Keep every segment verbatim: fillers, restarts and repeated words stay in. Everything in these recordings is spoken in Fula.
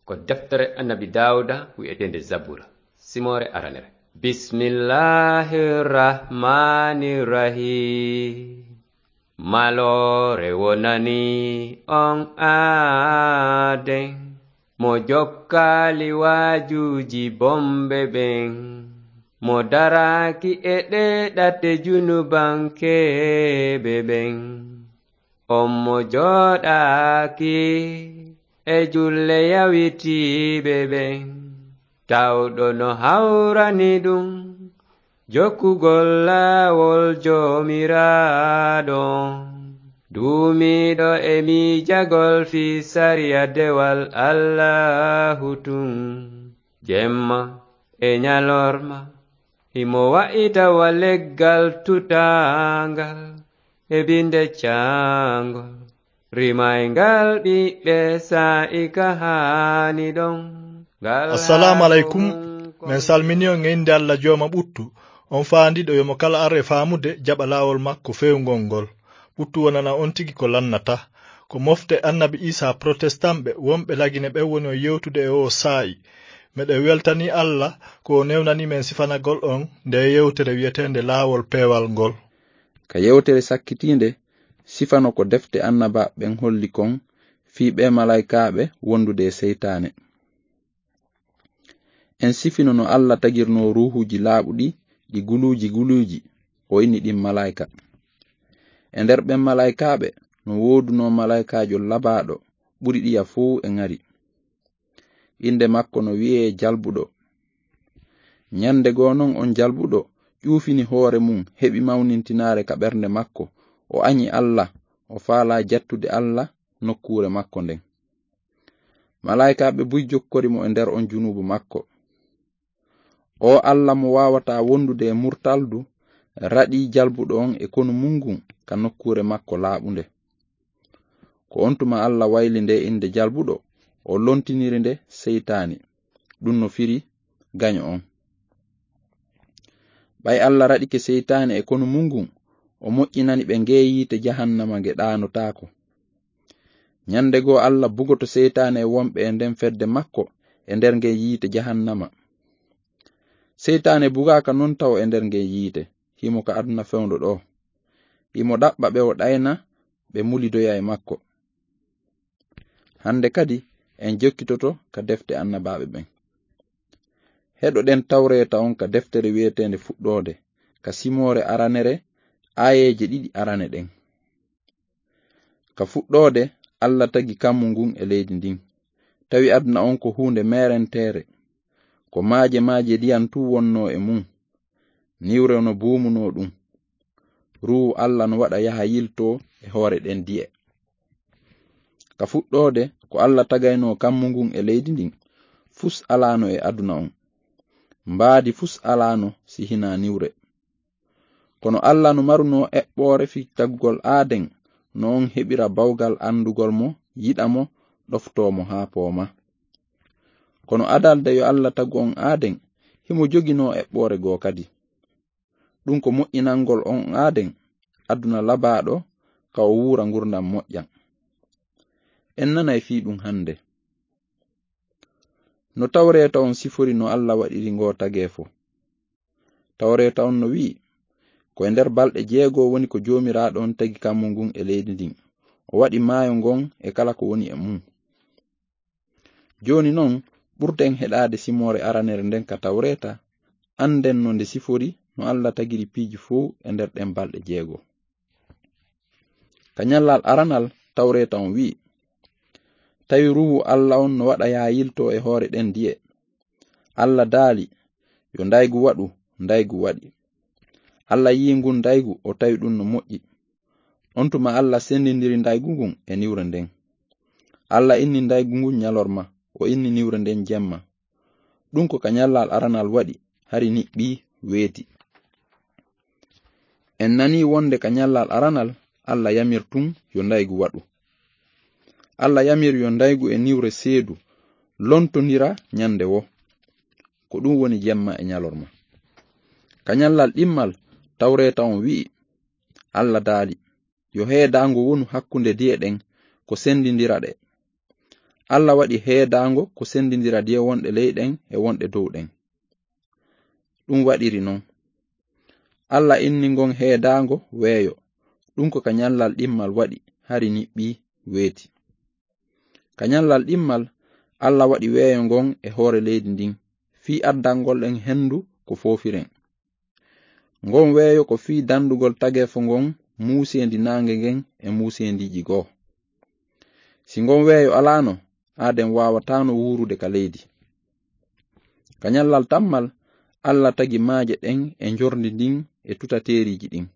Ko deftere Annabi Daawuda wi'eteende Zabura, simoore aranere. Bismillahir Rahmanir Rahim. Maloore wonani on aaden, mo jokkaali waajuuji bomɓe ɓen, mo daraaki e ɗee ɗate junubankeeɓe ɓen. On mo jooɗaaki e julle yawitiiɓe ɓen, tawɗo no hawrani ɗum jokkugol laawol Joomiraaɗo. Duumiiɗo e miijagol fii sariya dewal Allaahu tun, jemma e ñalorma, himo wa'ita wa leggal tutaangal e binde caangol, rimayngal ɓiɓɓe saa'i ka haani ɗon. Ngal Assalaamu aleykum. Min salmini on e innde Alla Jooma ɓuttu, on faandiiɗo yo mo kala ar e faamude jaɓa laawol makko feewngol ngol. Ɓuttu wonana on tigi ko lannata. Ko mofte Annabi Iisaa Protestanɓe wonɓe Lagine ɓen woni on yewtude e oo saa'i. Meɗen weltanii Alla ko o newnanii men sifanagol on ndee yewtere wi'eteende Laawol Peewal ngol. Ka yewtere sakkitiinde, sifano ko defte annabaaɓe ɓen holli kon fii ɓee malaa'ikaaɓe wondude e seytaane. En sifino no Alla tagirnoo ruuhuuji laaɓuɗi ɗi guluuji guluuji, o inni ɗin malaa'ika. E nder ɓen malaa'ikaaɓe, no woodunoo malaa'ikaajo labaaɗo ɓuri ɗiya fow e ŋari. Innde makko no wi'ee Jalbuɗo. Ñannde goo non, on Jalbuɗo ƴuufini hoore mun, heɓi mawnintinaare ka ɓernde makko, o añi Alla, o faalaa jattude Alla nokkuure makko nden. Malaa'ikaaɓe buy jokkori mo e nder on junuubu makko. Oo Alla mo waawataa wondude e murtaldu, raɗii Jalbuɗo on e konu mun ngun ka nokkuure makko laaɓunde. Ko on tuma Alla wayli ndee innde Jalbuɗo, o lontiniri nde Seytaane. Ɗun no firi gaño on. Ɓay Alla raɗike Seytaane e konu mun ngun, o moƴƴinani ɓe ngee yiite jahannama nge ɗaanotaako. Ñannde goo Alla bugoto Seytaane e wonɓe e nden fedde makko e nder ngen yiite jahannama. Seytaane bugaaka non tawo e nder ngen yiite, himo ka aduna fewndo ɗoo. Himo ɗaɓɓa ɓe o ɗayna ɓe mulidoya e makko. Hannde kadi en jokkitoto ka defte annabaaɓe ɓen. Heɗoɗen Tawreeta on ka deftere wi'eteende Fuɗɗoode, ka simoore aranere, aayeeje ɗiɗi arane ɗen. Ka fuɗɗoode, Alla tagi kammu ngun e leydi ndin. Tawi aduna on ko huunde meerenteere. Ko maaje maaje ndiyan tun wonnoo e mun. Niwre no buumunoo ɗun. Ruuhu Alla no waɗa yaha yiltoo e hoore ɗen di'e. Ka fuɗɗoode, ko Alla tagaynoo kammu ngun e leydi ndin, fus alaano e aduna on. Mbaadi fus alaano si hinaa niwre. Kono Alla no marunoo eɓɓoore fii tagugol Aaden, no on heɓira bawgal anndugol mo, yiɗa mo, ɗoftoo mo haa pooma. Kono adalde yo Alla tagu on Aaden, himo joginoo eɓɓoore goo kadi. Ɗun ko moƴƴinangol on Aaden aduna labaaɗo, ka o wuura ngurndan moƴƴan. En nanay fii ɗun hannde. No Tawreeta on sifori no Alla waɗiri ngoo tageefo. Tawreeta on no wi'i, ko e nder balɗe jeego woni ko Joomiraaɗo on tagi kammu ngun e leydi ndin. O waɗi maayo ngon e kala ko woni e mun. Jooni non, ɓurten heɗaade simoore aranere nden ka Tawreeta, annden no nde sifori no Alla tagiri piiji fow e nder ɗen balɗe jeego. Ka ñallal aranal, Tawreeta on wi'i, tawi Ruuhu Alla on no waɗa yaha yiltoo e hoore ɗen di'e. Alla daali, yo ndaygu waɗu, ndaygu waɗi. Alla yi'i ngun ndaygu, o tawi ɗun no moƴƴi. On tuma Alla sendindiri ndaygu ngun e niwre nden. Alla inni ndaygu ngun ñalorma, o inni niwre nden jemma. Ɗun ko ka ñallal aranal waɗi, hari niɓɓii, weeti. En nanii wonde ka ñallal aranal, Alla yamir tun yo ndaygu waɗu. Alla yamir yo ndaygu e niwre seedu lontondira ñande woo. Ko ɗun woni jemma e ñalorma. Ka ñallal ɗimmal, Tawreeta on wi'i, Alla daali, yo heedaango wonu hakkunde di'e ɗen, ko sendindira ɗe. Alla waɗi heedaango ko senndindira diye wonɗe ley ɗen e wonɗe dow ɗen. Ɗum waɗiri non. Alla inni ngon heedaango weeyo. Ɗum ko ka ñallal ɗimmal waɗi, hari niɓɓii, weeti. Ka ñallal ɗimmal, Alla waɗi weeyo ngon e hoore leydi ndin, fii addangol en henndu ko foofiren. Ngon weeyo ko fii dandugol tageefo ngon muuseendi naange ngen e muuseendiiji goo. Si ngon weeyo alaano, aaden waawataano wuurude ka leydi. Ka ñallal tammal, Alla tagi maaje ɗen e njordi ndin e tutateeriiji ɗin.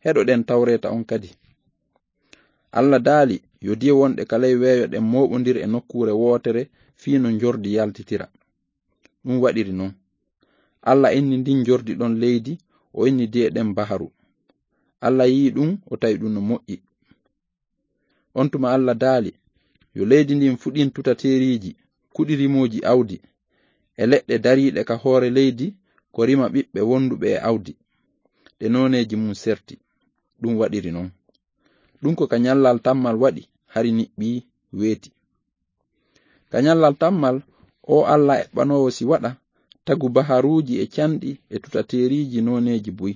Heɗoɗen tawreeta on kadi. Alla daali yo diye wonɗe ka ley weeyo ɗen mooɓondir e nokkuure wootere fii no njordi yaltitira. Ɗum waɗiri non. Alla inni ndin njordi ɗon leydi, o inni diye ɗen baharu. Alla yi'i ɗum, o tawi ɗum no moƴƴi. On tuma Alla daali, yo leydi ndin fuɗin tutateeriiji, kuɗi rimooji awdi, e leɗɗe dariiɗe ka hoore leydi, ko rima ɓiɓɓe wonduɓe e awdi, ɗe nooneeji mum serti. Ɗum waɗiri non. Ɗum ko ka ñallal tammal waɗi, hari niɓɓii, weeti. Ka ñallal tammal, o Alla eɓɓanoowo si waɗa, tagu baharuuji e canɗi e tutateeriiji nooneeji buy,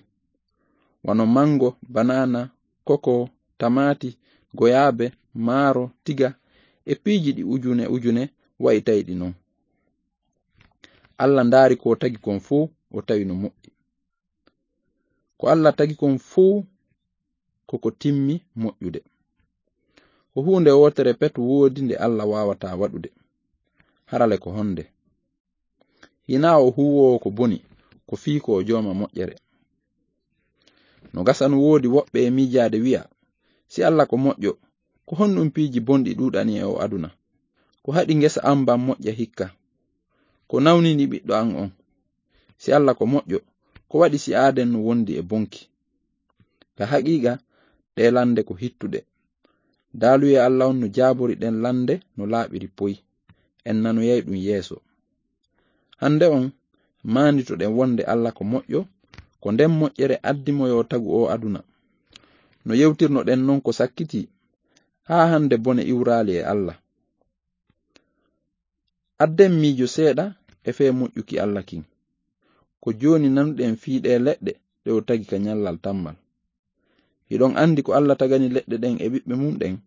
wano mango, banaana, koko, tamaati, goyaabe, maaro, tiga, e piiji ɗi ujune ujune wa'i tawi ɗi non. Alla ndaari ko tagi kon fow, o tawi no moƴƴi. Ko Alla tagi kon fow, ko ko timmi moƴƴude. Ko huunde wootere pet woodi nde Alla waawataa waɗude. Harale ko honde? Hinaa o huuwoowo ko boni, ko fii ko o jooma moƴƴere. No gasa no woodi woɓɓe e miijaade wi'a, si Alla ko moƴƴo, ko honɗum piiji bonɗi ɗuuɗani e o aduna? Ko haɗi ngesa an ban moƴƴa hikka? Ko nawnini ɓiɗɗo an on? Si Alla ko moƴƴo, ko waɗi si aaden no wondi e bonki? Ka haqiiqa, ɗee lande ko hittuɗe. Daaluyee Alla on no jaabori ɗen lande no laaɓiri poy. En nanoyay ɗum yeeso. Hande on, maanditoɗen wonde Alla ko moƴƴo, ko nden moƴƴere addi mo yo tagu o aduna. No yewtirnoɗen non ko sakkitii, haa hande bone iwraali e Alla. Adden miijo seeɗa e fee moƴƴuki Alla kin. Ko jooni nanuɗen fii ɗee leɗɗe ɗe o tagi ka ñallal tammal. Hiɗon andi ko Alla tagani leɗɗe ɗen e ɓiɓɓe mum ɗen?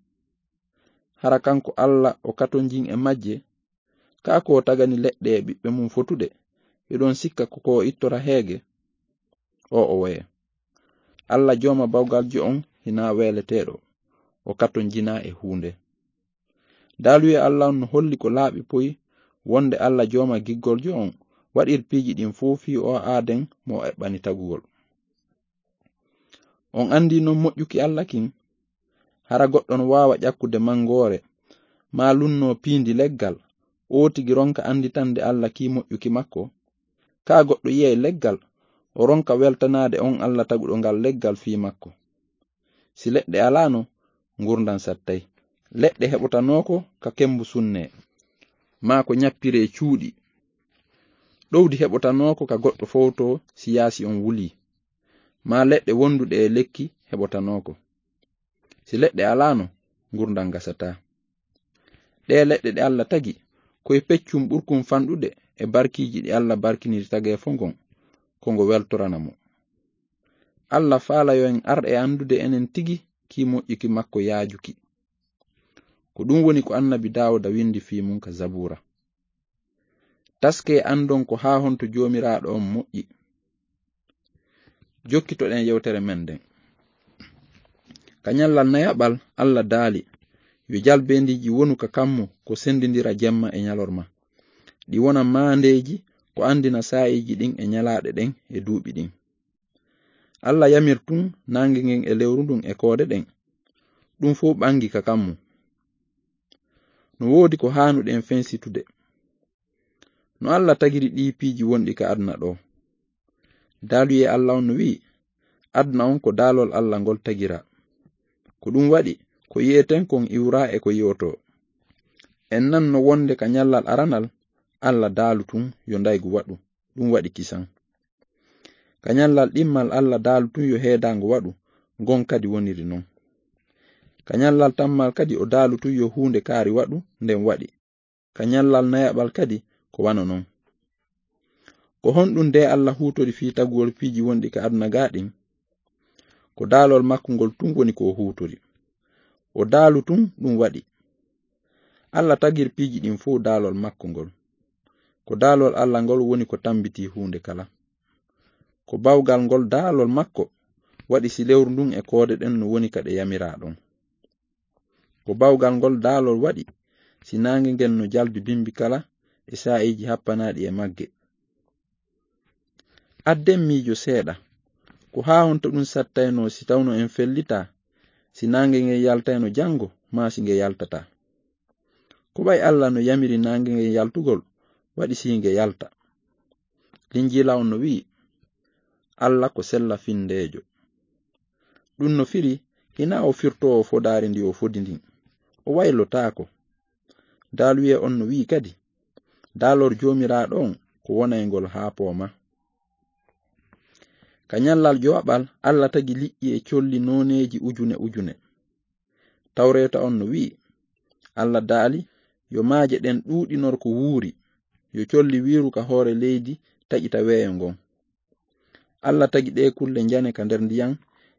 Hara kanko Alla o katonjin e majje? Kaa ko o tagani leɗɗe e ɓiɓɓe mum fotuɗe, hiɗon sikka ko ko o ittora heege? O o woye. Alla jooma bawgaljo on hinaa weeleteeɗo, o katonjinaa e huunde. Daaluyee Alla on no holli ko laaɓi poy wonde Alla jooma giggoljo on waɗir piiji ɗin fow fii o aaden mo o eɓɓani tagugol. On andi non moƴƴuki Alla kin? Hara goɗɗo no waawa ƴakkude mangoore, maa lunnoo piindi leggal, o tigi ronka anditande Alla kii moƴƴuki makko? Kaa goɗɗo yi'ay leggal, o ronka weltanaade on Alla taguɗo ngal leggal fii makko. Si leɗɗe alaano, ngurndan sattay. Leɗɗe heɓotanoo ko ka kembu sunnee, maa ko ñappiree cuuɗi. Ɗowdi heɓotanoo ko ka goɗɗo fowtoo si yaasi on wulii, maa leɗɗe wonduɗe e lekki heɓotanoo ko. Si leɗɗe alaano, ngurndan gasataa. Ɗee leɗɗe ɗe Alla tagi, ko e peccum ɓurkum fanɗude e barkiiji ɗi Alla barkiniri tageefo ngon, ko ngo weltorana mo. Alla faala yo en ar e andude enen tigi kii moƴƴuki makko yaajuki. Ko ɗum woni ko annabi Daawuda windi fii mum ka Zabuura. Taskee andon ko haa honto Joomiraaɗo on moƴƴi. Jokkitoɗen yewtere men nden. Ka ñallal nayaɓal, Alla daali, yo jalbeendiiji wonu ka kammu ko sendindira jemma e ñalorma. Ɗi wona maandeeji ko andina saa'iiji ɗin e ñalaaɗe ɗen e duuɓi ɗin. Alla yamir tun naange ngen e lewru ndun e koode ɗen. Ɗum fow ɓangi ka kammu. No woodi ko haanuɗen fensitude. No Alla tagiri ɗii piiji wonɗi ka aduna ɗoo. Daaluyee Alla on no wi'i, aduna on ko daalol Alla ngol tagiraa. Ko ɗum waɗi, ko yi'eten kon iwraa e ko yi'otoo. En nanno wonde ka ñallal aranal, Alla daalu tun yo ndaygu waɗu. Ɗum waɗi kisan. Ka ñallal ɗimmal Alla daalu tun yo heedaango waɗu, ngon kadi woniri non. Ka ñallal tammal kadi o daalu tun yo huunde kaari waɗu, nden waɗi. Ka ñallal nayaɓal kadi ko wano non. Ko honɗun de Alla huutori fii taguwol piiji wonɗi ka aduna gaa ɗin? Ko daalol makko ngol tun woni ko o huutori. O daalu tun ɗun waɗi. Alla tagiri piiji ɗin fow daalol makko ngol. Ko daalol Alla ngol woni ko tambitii huunde kala. Ko bawgal ngol daalol makko waɗi si lewru ndun e koode ɗen no woni ka ɗe yamiraa ɗon. Ko bawgal ngol daalol waɗi si naange ngen no jalbi bimbi kala e saa'iiji happanaaɗi e magge. Adden miijo seeɗa, ko haa honto ɗun sattaynoo si tawno en fellitaa, si naange ngen yaltayno janngo maa si nge yaltataa? Ko ɓay Alla no yamiri naange ngen yaltugol, waɗi si nge yalta? Linjiila on no wi'i, Alla ko sella findeejo. Ɗun no firi, hinaa o firtoowo fodaari ndi o fodi ndin. O waylotaako. Daaluyee on no wi'i kadi, daalor Joomiraaɗo on ko wonayngol haa pooma. Ka ñallal jowaɓal, Alla tagi liƴƴi e colli nooneeji ujune ujune. Tawreeta on no wi'i, Alla daali, yo maaje ɗen ɗuuɗinor ko wuuri, yo colli wiiru ka hoore leydi taƴita weeyo ngon. Alla tagi ɗee kulle njane ka nder ndiyan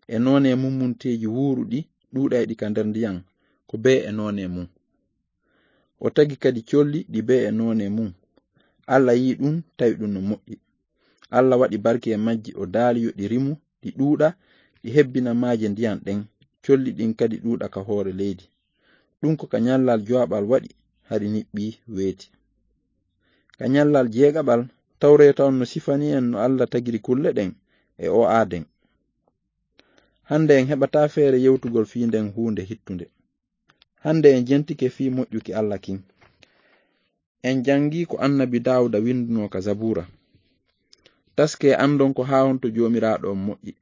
e noone mummunteeji wuuruɗi ɗuuɗayɗi ka nder ndiyan, ko bee e noone mun. O tagi kadi colli ɗi bee e noone mun. Alla yi'i ɗun, tawi ɗun no moƴƴi. Alla waɗi barki e majji, o daali yo ɗi rimu, ɗi ɗuuɗa, ɗi hebbina maaje ndiyan ɗen, colli ɗin kadi ɗuuɗa ka hoore leydi. Ɗun ko ka ñallal jowaɓal waɗi, hari niɓɓi weeti. Ka ñallal jeegaɓal, tawreeta on no sifani en no Alla tagiri kulle ɗen e o aaden. Hande en heɓataa feere yewtugol fii nden huunde hittunde. Hande en jentike fii moƴƴuki Alla kin. En jangii ko annabi Daawuda windunoo ka Zabuura. Taskee andon ko haa honto Joomiraaɗo on moƴƴi.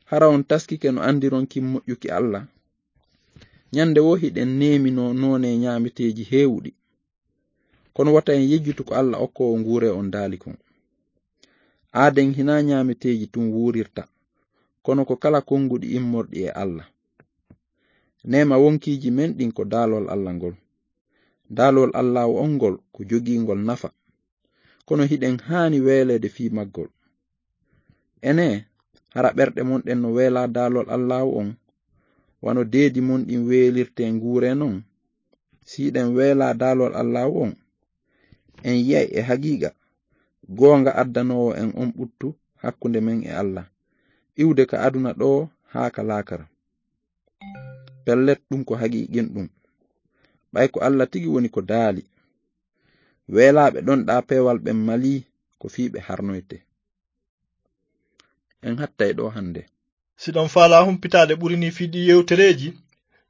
Hara on taskike no andiron kin moƴƴuki Alla? Ñande woo hiɗen neeminoo noone ñaameteeji heewuɗi. Kono wota en yejjutu ko Alla okkoowo nguuree on daali kon. Aaden hinaa ñaameteeji tun wuurirta, kono ko kala konguɗi immorɗi e Alla. Neema wonkiiji men ɗin ko daalol Alla ngol. Daalol Allaahu on ngol ko jogiingol nafa, kono hiɗen haani weeleede fii maggol. Enee, hara ɓerɗe mon ɗen no weelaa daalol Allaahu on, wano deedi mon ɗin weelirtee nguuree non? Si hiɗen weelaa daalol Allaahu on, en yi'ay e haqiiqa goonga addanoowo en on ɓuttu hakkunde men e Alla, iwde ka aduna ɗoo haa ka laakara. Pellet, ɗun ko haqiiqinɗun. Ɓay ko Alla tigi woni ko daali, weelaaɓe ɗon ɗaa peewal ɓen malii ko fii ɓe harnoyte. En hattay ɗoo hande. Si ɗon faalaa humpitaade ɓuri nii fii ɗii yewtereeji,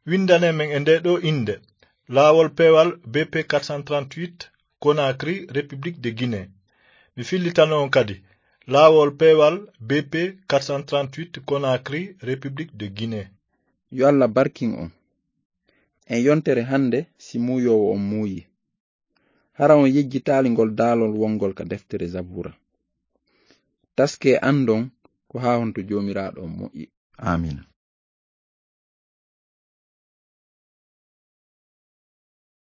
windanee men e ndee ɗoo innde, Laawol Peewal B P quatre cent trente-huit, Conakry, République de Guinée. Mi fillitano on kadi, Laawol Peewal B P quatre cent trente-huit, Conakry, République de Guinée. Yo Alla barkin on. En yontere hande, si muuyoowo on muuyi. Hara on yejjitaali ngol daalol wongol ka deftere Zabuura. Taskee andon ko haa honto Joomiraaɗo on moƴƴi. Aamiin.